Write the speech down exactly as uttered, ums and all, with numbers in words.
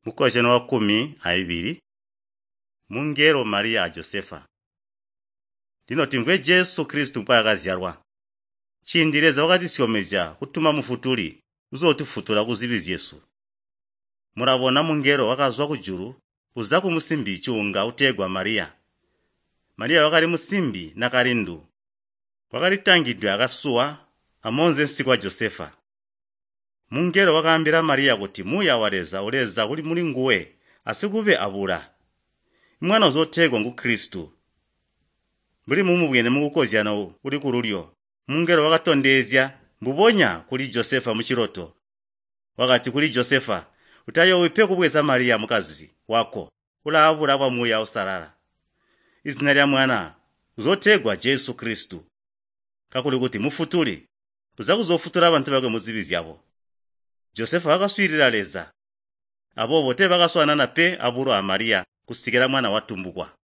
Mukozyano wakkumi aibili, mungelo Mariya a Josefa. Lino timvwe Jesu Kristu mbwaakazyalwa. Ciindi Leza wakatusyomezya kutuma Mufutuli uzootufutula kuzibi zyesu. Mulabona mungelo wakazwa kujulu uza kumusimbi cuunga utegwa Mariya. Mariya wakali musimbi nakalindu, wakalitangidwe akasuwa amoonze wa Josefa. Mungelo wakaambila Mariya kuti Muuya wa Leza uleza kuli mulinguwe asikube abula. Imwana uzootegwa ngu Kristu. Mbuli mumubwene mukukozyano uli kululyo, mungelo wakatondezya mbubonya kuli Josefa muciloto. Wakati kuli Josefa, "Utayoowi pe kubweza Mariya mukazi wako, ulaabula bwa Muuya Uusalala. Izina lya mwana uzootegwa Jesu Kristu, kakuli kuti Mufutuli, uza kuzoofutula bantu bakwe muzibi zyabo." Josefa wakaswiilila Leza, aboobo teebakaswaanana pe abulo a Mariya kusikila mwana watumbukwa.